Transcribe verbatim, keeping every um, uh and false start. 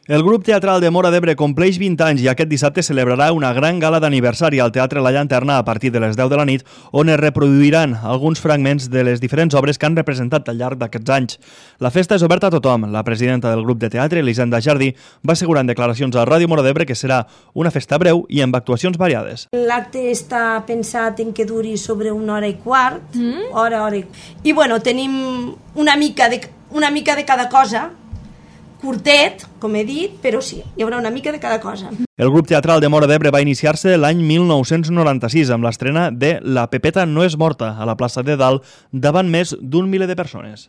El grup teatral de Móra d'Ebre compleix vint anys i aquest dissabte celebrarà una gran gala d'aniversari al Teatre La Llanterna a partir de les deu de la nit, on es reproduiran alguns fragments de les diferents obres que han representat al llarg d'aquests anys. La festa és oberta a tothom. La presidenta del grup de teatre, Elisenda Jardí, va assegurar en declaracions a Ràdio Móra d'Ebre que serà una festa breu i amb actuacions variades. L'acte està pensat en que duri sobre una hora i quart, mm. hora, hora i... I bueno, tenim una mica de, una mica de cada cosa, curtet, com he dit, però sí, hi haurà una mica de cada cosa. El grup teatral de Móra d'Ebre va iniciar-se l'any mil nou-cents noranta-sis amb l'estrena de La Pepeta no és morta a la plaça de Dalt davant més d'un miler de persones.